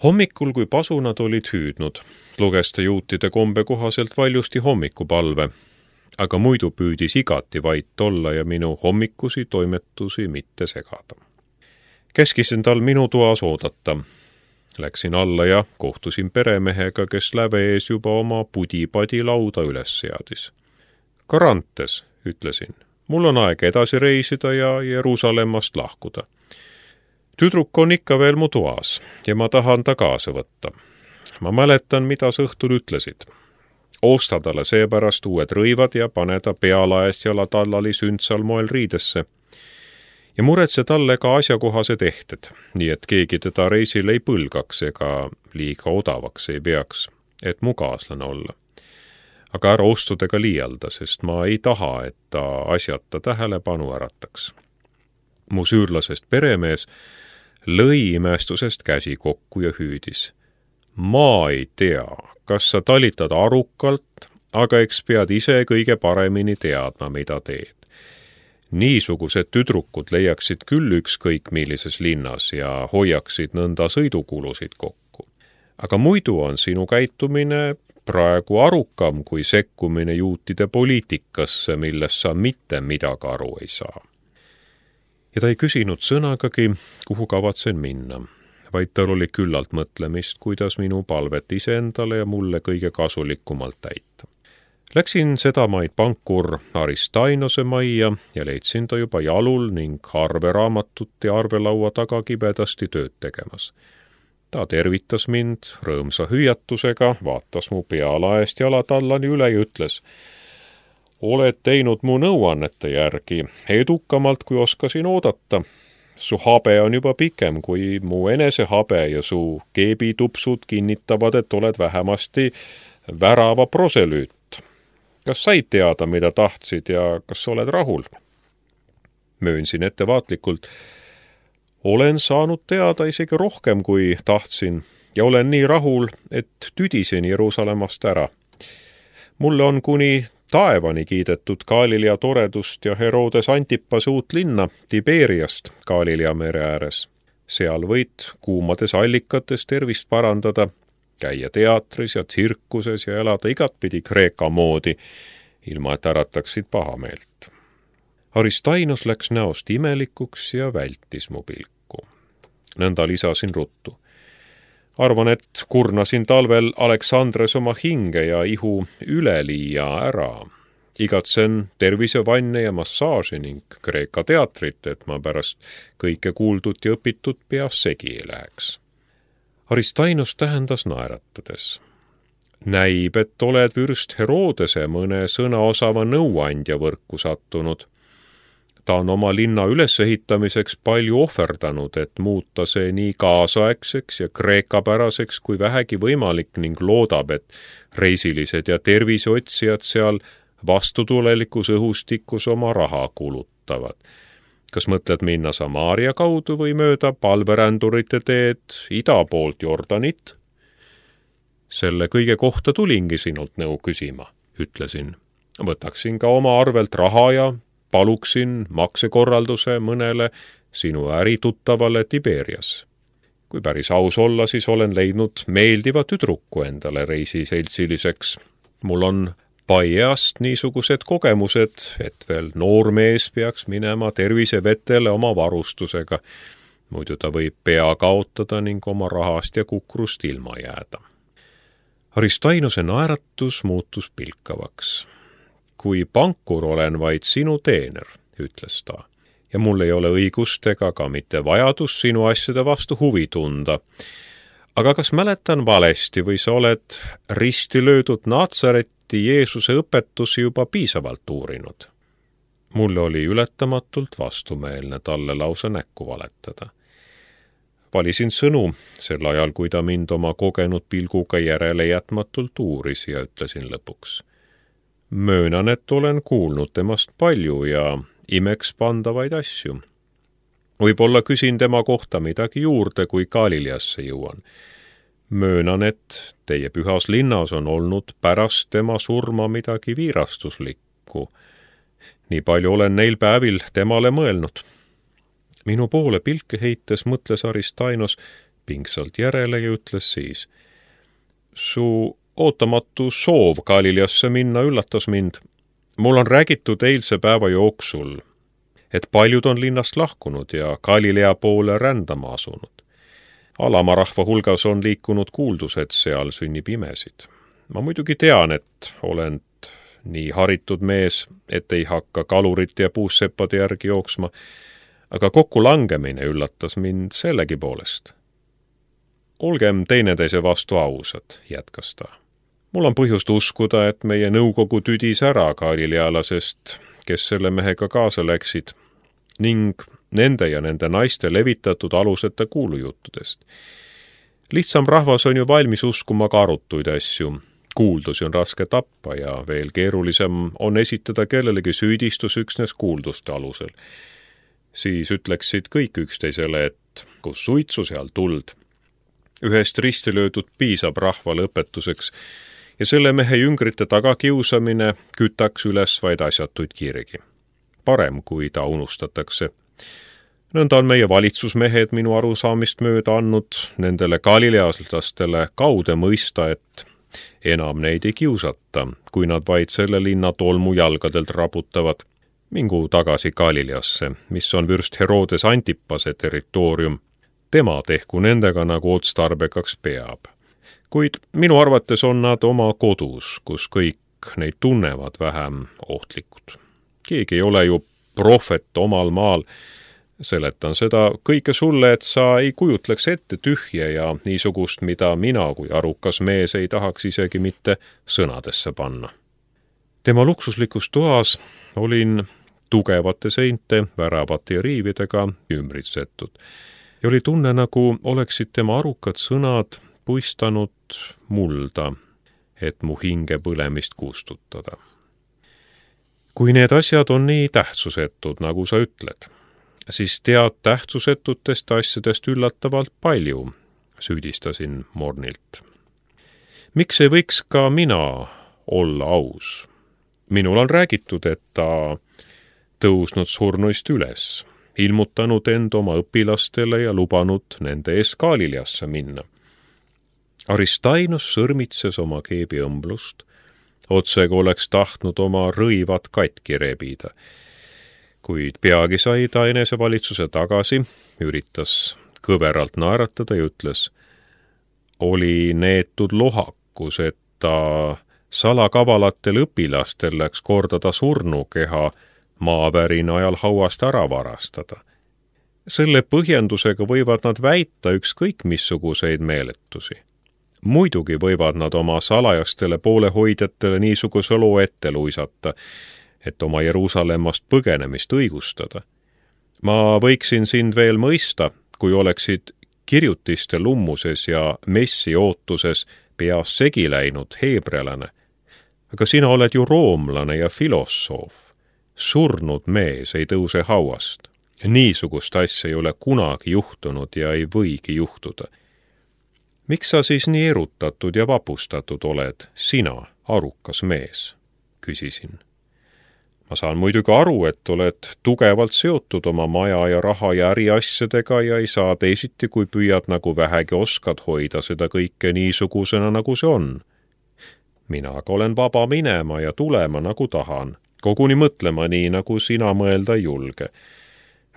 Hommikul, kui pasunad olid hüüdnud, luges ta juutide kombe kohaselt valjusti hommikupalve, aga muidu püüdis igati vait olla ja minu hommikusi toimetusi mitte segada. Käskisin tal minu toas oodata. Läksin alla ja kohtusin peremehega, kes läve ees juba oma pudipadi lauda üles seadis. Karantes, ütlesin, mul on aeg edasi reisida ja Jeruusalemmast lahkuda. Tüdruk on ikka veel mu toas ja ma tahan ta kaasa võtta. Ma mäletan, mida sa õhtul ütlesid. Osta talle seepärast uued rõivad ja pane ta pealaest jalatallali sündsal moel riidesse. Ja muretse talle ka asjakohased ehted, nii et keegi teda reisil ei põlgaks ega liiga odavaks ei peaks, et mu kaaslane olla. Aga ära ostudega liialda, sest ma ei taha, et ta asjata tähelepanu ärataks. Mu süürlasest peremees lõi imestusest käsi kokku ja hüüdis. Ma ei tea, kas sa talitad arukalt, aga eks pead ise kõige paremini teadma, mida teed. Niisugused tüdrukud leiaksid küll ükskõik millises linnas ja hoiaksid nõnda sõidukulusid kokku. Aga muidu on sinu käitumine praegu arukam kui sekkumine juutide poliitikasse, milles sa mitte midagi aru ei saa. Ja ta ei küsinud sõnagagi, kuhu kavatsen minna, vaid tal oli küllalt mõtlemist, kuidas minu palvet iseendale ja mulle kõige kasulikumalt täita. Läksin sedamaid pankur Aristainose majja ja leidsin ta juba jalul ning arveraamatut ja arvelaua taga kibedasti tööd tegemas. Ta tervitas mind rõõmsa hüüatusega, vaatas mu pealaest jalatallani üle ja ütles, oled teinud mu nõuannete järgi edukamalt, kui oskasin oodata. Su habe on juba pikem kui mu enese habe ja su keebitupsud kinnitavad, et oled vähemasti värava proselüüt. Kas said teada, mida tahtsid ja kas oled rahul? Möönsin ettevaatlikult. Olen saanud teada isegi rohkem, kui tahtsin ja olen nii rahul, et tüdisin Jeruusalemmast ära. Mulle on kuni taevani kiidetud Galilea toredust ja Herodes Antipas uut linna Tiberiast Galilea mere ääres. Seal võid kuumades allikates tervist parandada, käia teatris ja tsirkuses ja elada igatpidi Kreeka moodi, ilma et ärataksid pahameelt. Aristainos läks näost imelikuks ja vältis mu pilku. Nõnda lisasin ruttu. Arvan, et kurnasin talvel Aleksandres oma hinge ja ihu üleliia ära. Igatsen tervisevanne ja massaaži ning Kreeka teatrit, et ma pärast kõike kuuldut ja õpitut peas segi ei läheks. Aristainos tähendas naeratades. Näib, et oled vürst Herodese mõne sõnaosava nõuandja võrku sattunud. Ta on oma linna ülesehitamiseks palju ohverdanud, et muuta see nii kaasaegseks ja kreekapäraseks kui vähegi võimalik ning loodab, et reisilised ja terviseotsijad seal vastutulelikus õhustikus oma raha kulutavad. Kas mõtled minna Samaaria kaudu või mööda palverändurite teed ida poolt Jordanit? Selle kõige kohta tulingi sinult nõu küsima, ütlesin. Võtaksin ka oma arvelt raha ja paluksin maksekorralduse mõnele sinu ärituttavale Tiberias. Kui päris aus olla, siis olen leidnud meeldiva tüdruku endale reisiseltsiliseks. Mul on paieast niisugused kogemused, et veel noor mees peaks minema tervisevetele oma varustusega. Muidu ta võib pea kaotada ning oma rahast ja kukrust ilma jääda. Aristainose naeratus muutus pilkavaks. Kui pankur olen vaid sinu teener, ütles ta, ja mul ei ole õigust ega ka mitte vajadus sinu asjade vastu huvi tunda. Aga kas mäletan valesti või sa oled risti löödud Natsareti Jeesuse õpetusi juba piisavalt uurinud? Mulle oli ületamatult vastumeelne talle lausa näkku valetada. Valisin sõnu sel ajal, kui ta mind oma kogenud pilguga järele jätmatult uuris ja ütlesin lõpuks. Möönan, et olen kuulnud temast palju ja imeks pandavaid asju. Võib-olla küsin tema kohta midagi juurde, kui Galileasse jõuan. Möönan, et teie pühas linnas on olnud pärast tema surma midagi viirastuslikku. Nii palju olen neil päevil temale mõelnud. Minu poole pilke heites mõtles Aristainos, pingsalt järele ja ütles siis: su ootamatu soov Galileasse minna üllatas mind. Mul on räägitud eilse päeva jooksul, et paljud on linnast lahkunud ja Galilea poole rändama asunud. Alama rahva hulgas on liikunud kuuldus, et seal sünnib imesid. Ma muidugi tean, et olen nii haritud mees, et ei hakka kalurite ja puusseppade järgi jooksma, aga kokkulangemine üllatas mind sellegi poolest. Olgem teineteise vastu ausad, jätkas ta. Mul on põhjust uskuda, et meie nõukogu tüdis ära galilealasest, kes selle mehega kaasa läksid, ning nende ja nende naiste levitatud aluseta kuulujuttudest. Lihtsam rahvas on ju valmis uskuma ka arutuid asju. Kuuldusi on raske tappa ja veel keerulisem on esitada kellelegi süüdistus üksnes kuulduste alusel. Siis ütleksid kõik üksteisele, et kus suitsu, seal tuld. Ühest risti löödud piisab rahvale õpetuseks ja selle mehe jüngrite tagakiusamine kütaks üles vaid asjatuid kirgi. Parem, kui ta unustatakse. Nõnda on meie valitsusmehed minu arusaamist mööda andnud nendele galileaslastele kaude mõista, et enam neid ei kiusata, kui nad vaid selle linna tolmu jalgadelt raputavad. Mingu tagasi Galileasse, mis on vürst Herodes Antipase territoorium. Tema tehku nendega nagu otstarbekaks peab. Kuid minu arvates on nad oma kodus, kus kõik neid tunnevad vähem ohtlikud. Keegi ei ole ju prohvet omal maal. Seletan seda kõike sulle, et sa ei kujutleks ette tühje ja niisugust, mida mina kui arukas mees ei tahaks isegi mitte sõnadesse panna. Tema luksuslikus toas olin tugevate seinte, väravate ja riividega ümbritsetud ja oli tunne, nagu oleksid tema arukad sõnad puistanud mulda, et mu hinge põlemist kustutada. Kui need asjad on nii tähtsusetud, nagu sa ütled, siis tead tähtsusetutest asjadest üllatavalt palju, süüdistasin mornilt. Miks ei võiks ka mina olla aus? Minul on räägitud, et ta tõusnud surnuist üles, ilmutanud end oma õpilastele ja lubanud nende ees Galileasse minna. Aristainus sõrmitses oma keebiõmblust, otsega oleks tahtnud oma rõivad katki rebida. Kuid peagi sai ta enesevalitsuse tagasi, üritas kõveralt naeratada ja ütles: oli neetud lohakus, et ta salakavalatel õpilastel läks kordada surnukeha maavärina ajal hauast ära varastada. Selle põhjendusega võivad nad väita ükskõik missuguseid meeletusi. Muidugi võivad nad oma salajastele poolehoidjatele niisuguse loo ette luisata, et oma Jeruusalemmast põgenemist õigustada. Ma võiksin sind veel mõista, kui oleksid kirjutiste lummuses ja messi ootuses peas segi läinud heebrealane. Aga sina oled ju roomlane ja filosoof. Surnud mees ei tõuse hauast. Niisugust asja ei ole kunagi juhtunud ja ei võigi juhtuda. Miks sa siis nii erutatud ja vapustatud oled, sina, arukas mees? Küsisin. Ma saan muidugi aru, et oled tugevalt seotud oma maja ja raha ja äriasjadega ja ei saa teisiti, kui püüad nagu vähegi oskad hoida seda kõike niisugusena, nagu see on. Mina aga olen vaba minema ja tulema, nagu tahan. Koguni mõtlema nii, nagu sina mõelda ei julge.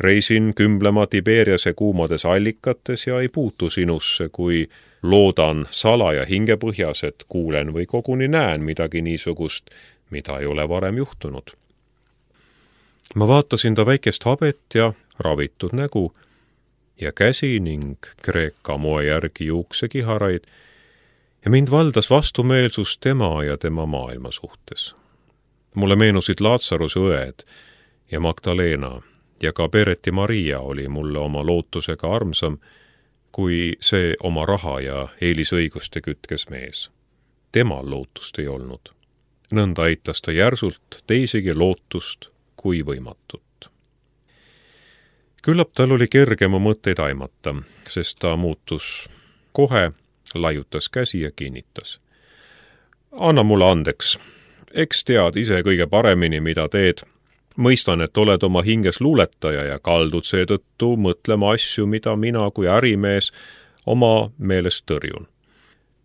Reisin kümblema Tiberiase kuumades allikates ja ei puutu sinusse, kui loodan salaja hingepõhjas, et kuulen või koguni näen midagi niisugust, mida ei ole varem juhtunud. Ma vaatasin ta väikest habet ja ravitud nägu ja käsi ning kreeka moe järgi juuksekiharaid ja mind valdas vastumeelsus tema ja tema maailma suhtes. Mulle meenusid Laatsaruse õed ja Magdalena ja ka Pereti Maria oli mulle oma lootusega armsam, kui see oma raha ja eelisõiguste kütkes mees. Temal lootust ei olnud. Nõnda aitas ta järsult teisigi lootust kui võimatut. Küllap tal oli kergem mõtteid aimata, sest ta muutus kohe, laiutas käsi ja kinnitas. Anna mulle andeks. Eks tead ise kõige paremini, mida teed. Mõistan, et oled oma hinges luuletaja ja kaldud seetõttu mõtlema asju, mida mina kui ärimees oma meelest tõrjun.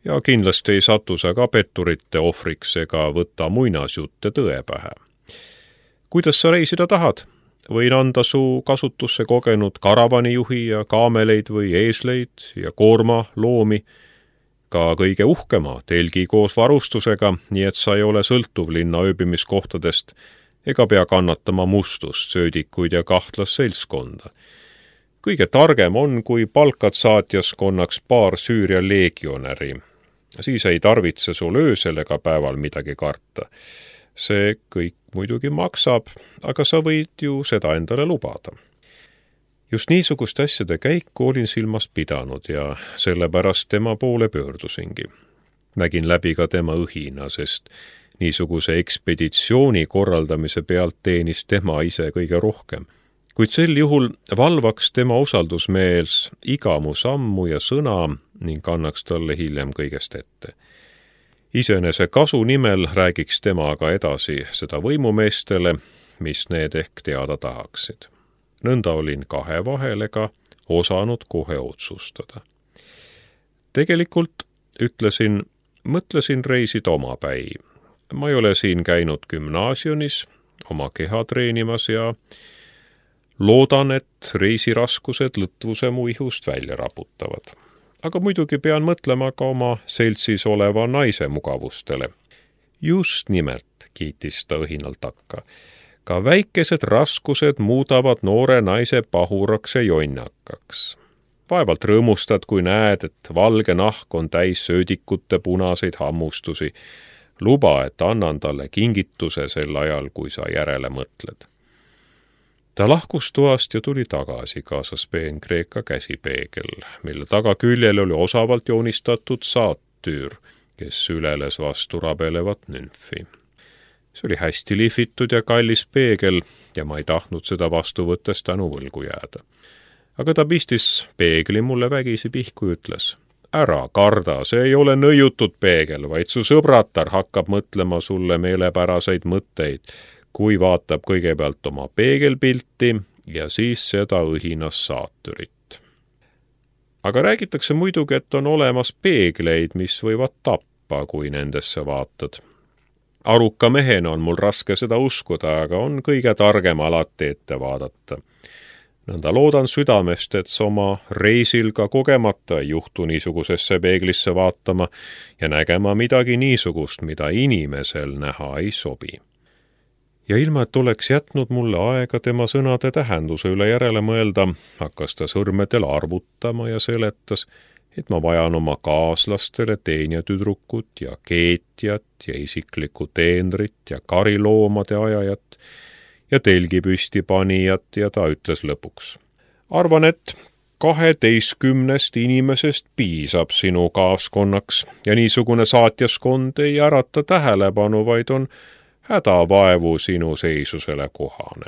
Ja kindlasti ei satu sa ka petturite ohvriks ega võta muinasjutte tõe pähe. Kuidas sa reisida tahad? Võin anda su kasutusse kogenud karavanijuhi ja kaameleid või eesleid ja koorma loomi, ka kõige uhkema telgi koos varustusega, nii et sa ei ole sõltuv linna ööbimiskohtadest ega pea kannatama mustust, söödikuid ja kahtlas seltskonda. Kõige targem on, kui palkad saatjaskonnaks paar Süüria leegionäri. Siis ei tarvitse sul öösel ega päeval midagi karta. See kõik muidugi maksab, aga sa võid ju seda endale lubada. Just niisugust asjade käiku olin silmas pidanud ja sellepärast tema poole pöördusingi. Nägin läbi ka tema õhina, sest niisuguse ekspeditsiooni korraldamise pealt teenis tema ise kõige rohkem. Kuid sel juhul valvaks tema usaldusmeels iga mu sammu ja sõna ning annaks talle hiljem kõigest ette. Iseenese kasu nimel räägiks temaga edasi seda võimumeestele, mis need ehk teada tahaksid. Nõnda olin kahe vahel ega osanud kohe otsustada. Tegelikult, ütlesin, mõtlesin reisida omapäi. Ma ei ole siin käinud gümnaasiumis oma keha treenimas ja loodan, et reisiraskused lõtvuse mu ihust välja raputavad. Aga muidugi pean mõtlema ka oma seltsis oleva naise mugavustele. Just nimelt, kiitis ta õhinalt takka. Ka väikesed raskused muudavad noore naise pahuraks ja jonnakaks. Vaevalt rõõmustad, kui näed, et valge nahk on täis söödikute punaseid hammustusi. Luba, et annan talle kingituse sel ajal, kui sa järele mõtled. Ta lahkus toast ja tuli tagasi, kaasas peen-kreeka käsipeegel, mille tagaküljel oli osavalt joonistatud saattüür, kes süleles vastu rabelevat nümfi. See oli hästi lihvitud ja kallis peegel ja ma ei tahtnud seda vastu võttes tänu võlgu jääda. Aga ta pistis peegli mulle vägisi pihku ja ütles, ära karda, see ei ole nõiutud peegel, vaid su sõbratar hakkab mõtlema sulle meelepäraseid mõtteid, kui vaatab kõigepealt oma peegelpilti ja siis seda õhinas saatürit. Aga räägitakse muidugi, et on olemas peegleid, mis võivad tappa, kui nendesse vaatad. Aruka mehena on mul raske seda uskuda, aga on kõige targem alati ette vaadata. Nõnda loodan südamest, et oma reisil ka kogemata ei juhtu niisugusesse peeglisse vaatama ja nägema midagi niisugust, mida inimesel näha ei sobi. Ja ilma, et oleks jätnud mulle aega tema sõnade tähenduse üle järele mõelda, hakkas ta sõrmedel arvutama ja seletas, et ma vajan oma kaaslastele teenjatüdrukut ja keetjat ja isiklikku teenrit ja kariloomade ajajat ja telgipüsti panijat ja ta ütles lõpuks. Arvan, et 12 inimesest piisab sinu kaaskonnaks ja niisugune saatjaskond ei ärata tähelepanu, vaid on hädavaevu sinu seisusele kohane.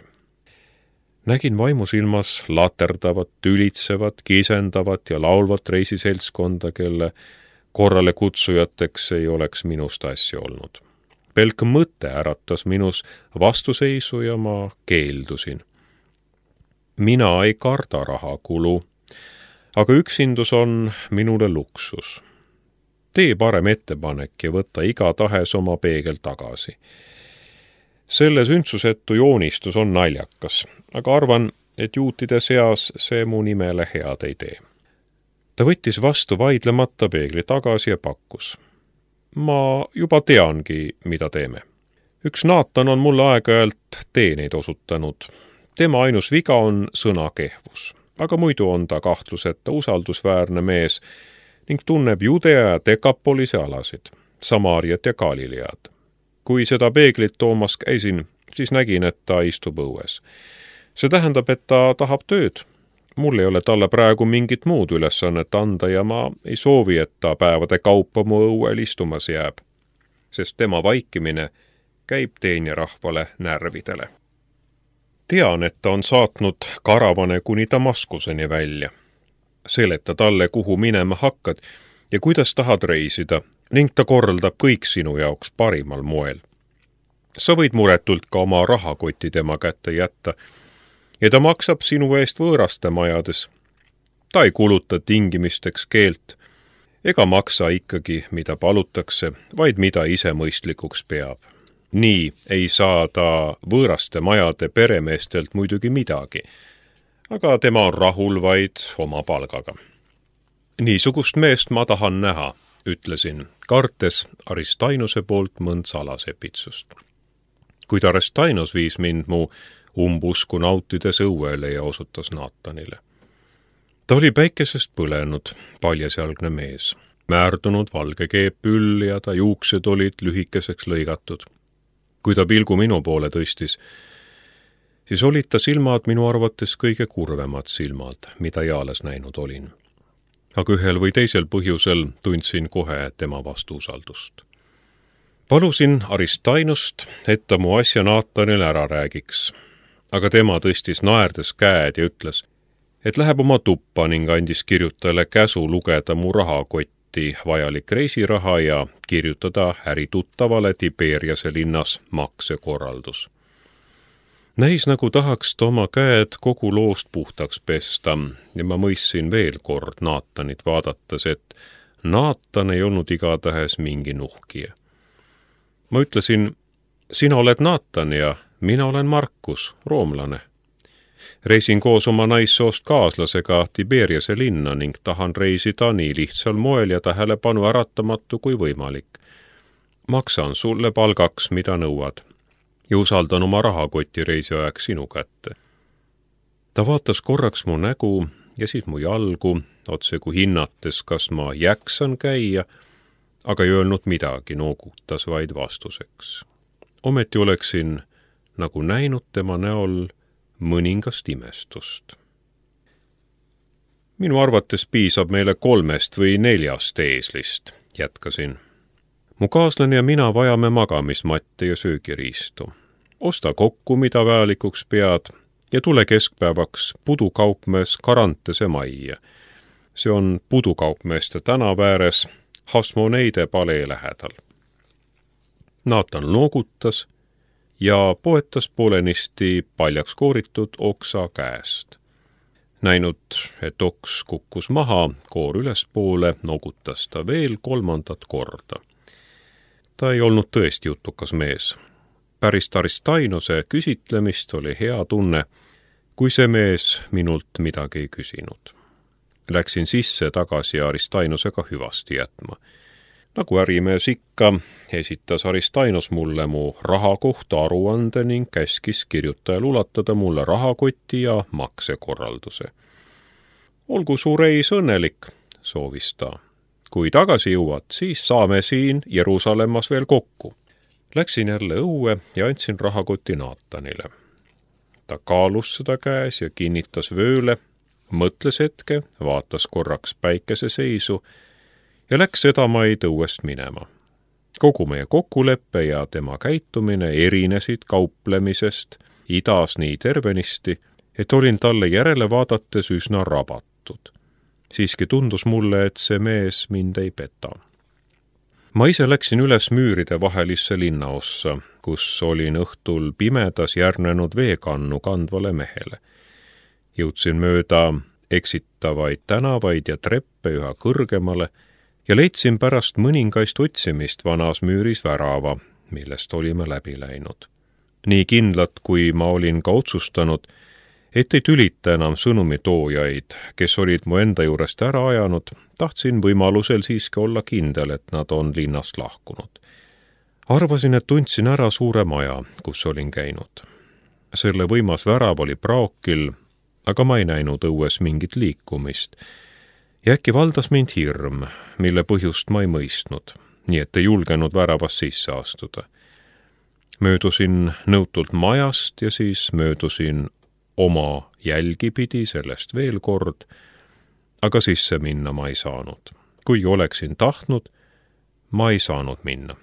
Nägin vaimusilmas laterdavat, tülitsevat, kisendavat ja laulvat reisiseltskonda, kelle korrale kutsujateks ei oleks minust asja olnud. Pelk mõte äratas minus vastuseisu ja ma keeldusin. Mina ei karda rahakulu, aga üksindus on minule luksus. Tee parem ettepanek ja võta igatahes oma peegel tagasi. Selle sündsusetu joonistus on naljakas, aga arvan, et juutide seas see mu nimele head ei tee. Ta võttis vastu vaidlemata peegli tagasi ja pakkus. Ma juba teangi, mida teeme. Üks Naatan on mulle aeg-ajalt teeneid osutanud. Tema ainus viga on sõnakehvus, aga muidu on ta kahtluseta usaldusväärne mees ning tunneb Judea ja Dekapolise alasid, Samaariat ja Galilead. Kui seda peeglit toomas käisin, siis nägin, et ta istub õues. See tähendab, et ta tahab tööd. Mul ei ole talle praegu mingit muud ülesannet anda ja ma ei soovi, et ta päevade kaupa mu õuel istumas jääb, sest tema vaikimine käib teenjarahvale närvidele. Tean, et ta on saatnud karavane kuni Damaskuseni välja. Seleta talle, kuhu minema hakkad ja kuidas tahad reisida, ning ta korraldab kõik sinu jaoks parimal moel. Sa võid muretult ka oma rahakoti tema kätte jätta ja ta maksab sinu eest võõraste majades. Ta ei kuluta tingimisteks keelt ega maksa ikkagi, mida palutakse, vaid mida ise mõistlikuks peab. Nii ei saa ta võõraste majade peremeestelt muidugi midagi, aga tema on rahul vaid oma palgaga. Niisugust meest ma tahan näha, ütlesin, kartes Aristainuse poolt mõnd salasepitsust. Kuid Aristainos viis mind mu umbusku nautides õuele ja osutas Naatanile. Ta oli päikesest põlenud, paljasjalgne mees, määrdunud valge keepüll ja ta juuksed olid lühikeseks lõigatud. Kui ta pilgu minu poole tõstis, siis olid ta silmad minu arvates kõige kurvemad silmad, mida eales näinud olin. Aga ühel või teisel põhjusel tundsin kohe tema vastu usaldust. Palusin Aristainost, et ta mu asja Naatanile ära räägiks, aga tema tõstis naerdes käed ja ütles, et läheb oma tuppa ning andis kirjutajale käsu lugeda mu rahakotti vajalik reisiraha ja kirjutada ärituttavale Tiberiase linnas maksekorraldus. Näis nagu tahaks ta oma käed kogu loost puhtaks pesta ja ma mõistsin veel kord Naatanit vaadates, et Naatan ei olnud igatahes mingi nuhkija. Ma ütlesin, sina oled Naatan ja mina olen Markus, roomlane. Reisin koos oma naissoost kaaslasega Tiberiase linna ning tahan reisida nii lihtsal moel ja tähelepanu äratamatu kui võimalik. Maksan sulle palgaks, mida nõuad, ja usaldan oma rahakoti reisiajaks sinu kätte. Ta vaatas korraks mu nägu ja siis mu jalgu, otse kui hinnates, kas ma jäksan käia, aga ei öelnud midagi, noogutas vaid vastuseks. Ometi oleksin nagu näinud tema näol mõningast imestust. Minu arvates piisab meile 3 või 4 eeslist, jätkasin. Mu kaaslane ja mina vajame magamismatte ja söögiriistu. Osta kokku, mida vajalikuks pead, ja tule keskpäevaks pudukaupmees Karantese majja. See on pudukaupmeeste tänava ääres Hasmoneide palee lähedal. Naatan noogutas ja poetas poolenisti paljaks kooritud oksa käest. Näinud, et oks kukkus maha, koor ülespoole, noogutas ta veel 3. korda. Ta ei olnud tõesti jutukas mees. Pärast Aristainose küsitlemist oli hea tunne, kui see mees minult midagi ei küsinud. Läksin sisse tagasi Aristainosega hüvasti jätma. Nagu ärimees ikka, esitas Aristainos mulle mu raha kohta aruande ning käskis kirjutajal ulatada mulle rahakoti ja maksekorralduse. Olgu su reis õnnelik, soovis ta. Kui tagasi jõuad, siis saame siin Jeruusalemmas veel kokku. Läksin jälle õue ja andsin rahakoti Naatanile. Ta kaalus seda käes ja kinnitas vööle, mõtles hetke, vaatas korraks päikese seisu ja läks sedamaid õuest minema. Kogu meie kokkuleppe ja tema käitumine erinesid kauplemisest idas nii tervenisti, et olin talle järele vaadates üsna rabatud. Siiski tundus mulle, et see mees mind ei peta. Ma ise läksin üles müüride vahelisse linnaossa, kus olin õhtul pimedas järgnenud veekannu kandvale mehele. Jõudsin mööda eksitavaid tänavaid ja treppe üha kõrgemale ja leidsin pärast mõningaist otsimist vanas müüris värava, millest olime läbi läinud. Nii kindlad, kui ma olin ka otsustanud, et ei tülita enam sõnumitoojaid, kes olid mu enda juurest ära ajanud, tahtsin võimalusel siiski olla kindel, et nad on linnast lahkunud. Arvasin, et tundsin ära suure maja, kus olin käinud. Selle võimas värav oli praokil, aga ma ei näinud õues mingit liikumist. Ja äkki valdas mind hirm, mille põhjust ma ei mõistnud, nii et ei julgenud väravast sisse astuda. Möödusin nõutult majast ja siis möödusin oma jälgi pidi sellest veel kord, aga sisse minna ma ei saanud. Kuigi oleksin tahtnud, ma ei saanud minna.